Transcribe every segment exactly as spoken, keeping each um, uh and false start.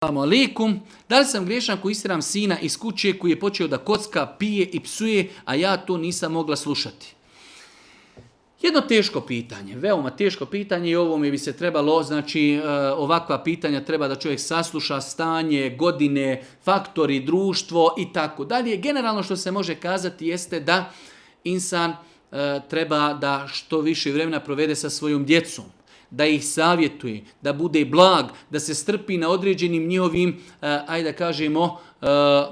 Assalamu alaikum. Da li sam griješan ako istjeram sina iz kuće koji je počeo da kocka, pije i psuje, a ja to nisam mogla slušati? Jedno teško pitanje, veoma teško pitanje i ovome bi se trebalo, znači ovakva pitanja treba da čovjek sasluša stanje, godine, faktori, društvo i tako dalje. Generalno što se može kazati jeste da insan treba da što više vremena provede sa svojom djecom, da ih savjetuje, da bude blag, da se strpi na određenim njihovim, ajde da kažemo,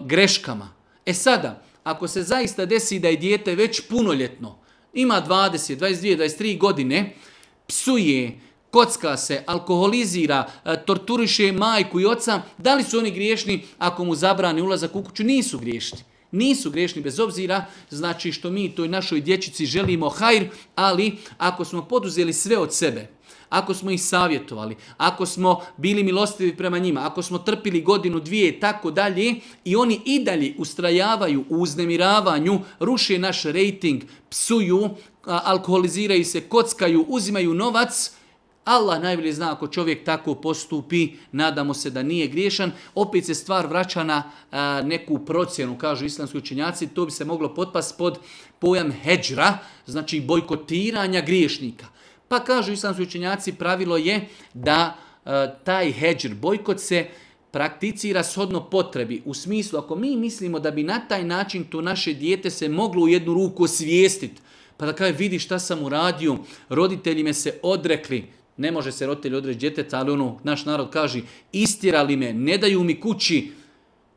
greškama. E sada, ako se zaista desi da je dijete već punoljetno, ima dvadeset, dvadeset dvije, dvadeset tri godine, psuje, kocka se, alkoholizira, torturiše majku i oca, da li su oni griješni ako mu zabrani ulazak u kuću? Nisu griješni. Nisu griješni bez obzira, znači što mi toj našoj dječici želimo hajr, ali ako smo poduzeli sve od sebe, ako smo ih savjetovali, ako smo bili milostivi prema njima, ako smo trpili godinu, dvije i tako dalje i oni i dalje ustrajavaju u uznemiravanju, ruše naš rejting, psuju, alkoholiziraju se, kockaju, uzimaju novac, Allah najbolje zna ako čovjek tako postupi, nadamo se da nije griješan. Opet se stvar vraća na a, neku procjenu, kažu islamski učenjaci, to bi se moglo potpasti pod pojam hedžra, znači bojkotiranja griješnika. Pa kažu islamski učenjaci, pravilo je da a, taj hedžr, bojkot se prakticira shodno potrebi. U smislu, ako mi mislimo da bi na taj način to naše dijete se moglo u jednu ruku osvijestiti, pa da kaže vidi šta sam uradio, roditelji me se odrekli, ne može se roditelj odreći djeteta, ali ono, naš narod kaže, istjerali me, ne daju mi kući,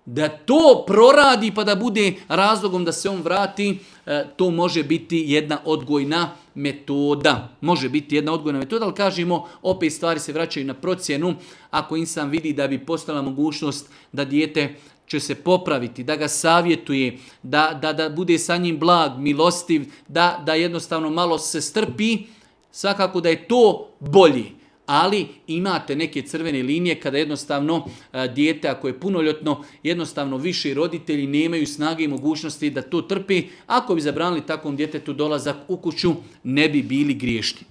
da to proradi pa da bude razlogom da se on vrati, to može biti jedna odgojna metoda. Može biti jedna odgojna metoda, ali kažemo, opet stvari se vraćaju na procjenu. Ako insan vidi da bi postala mogućnost da dijete će se popraviti, da ga savjetuje, da, da, da bude sa njim blag, milostiv, da, da jednostavno malo se strpi, svakako da je to bolje. Ali imate neke crvene linije kada jednostavno dijete, ako je punoljetno, jednostavno više roditelji nemaju snage i mogućnosti da to trpi. Ako bi zabranili takvom djetetu dolazak u kuću, ne bi bili griješni.